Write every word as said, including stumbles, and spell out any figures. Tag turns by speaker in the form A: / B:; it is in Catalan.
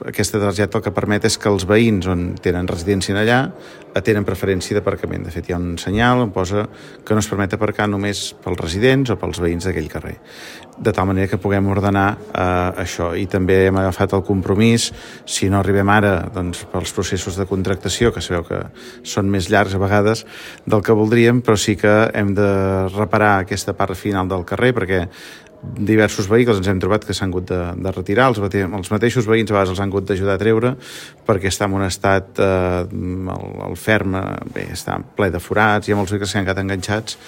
A: aquesta targeta el que permet és que els veïns on tenen residència allà tenen preferència d'aparcament. De fet, hi ha un senyal on posa que no es permet aparcar només pels residents o pels veïns d'aquell carrer. De tal manera que puguem ordenar eh, això. I també hem agafat el compromís, si no arribem ara, doncs, pels processos de contractació, que sabeu que són més llargs a vegades del que voldríem, però sí que hem de reparar aquesta part final del carrer, perquè diversos vehicles ens hem trobat que s'han hagut de, de retirar, els, els mateixos veïns a vegades els han hagut d'ajudar a treure perquè està en un estat, eh, el, el ferm bé, està ple de forats, hi ha molts vehicles que s'han quedat enganxats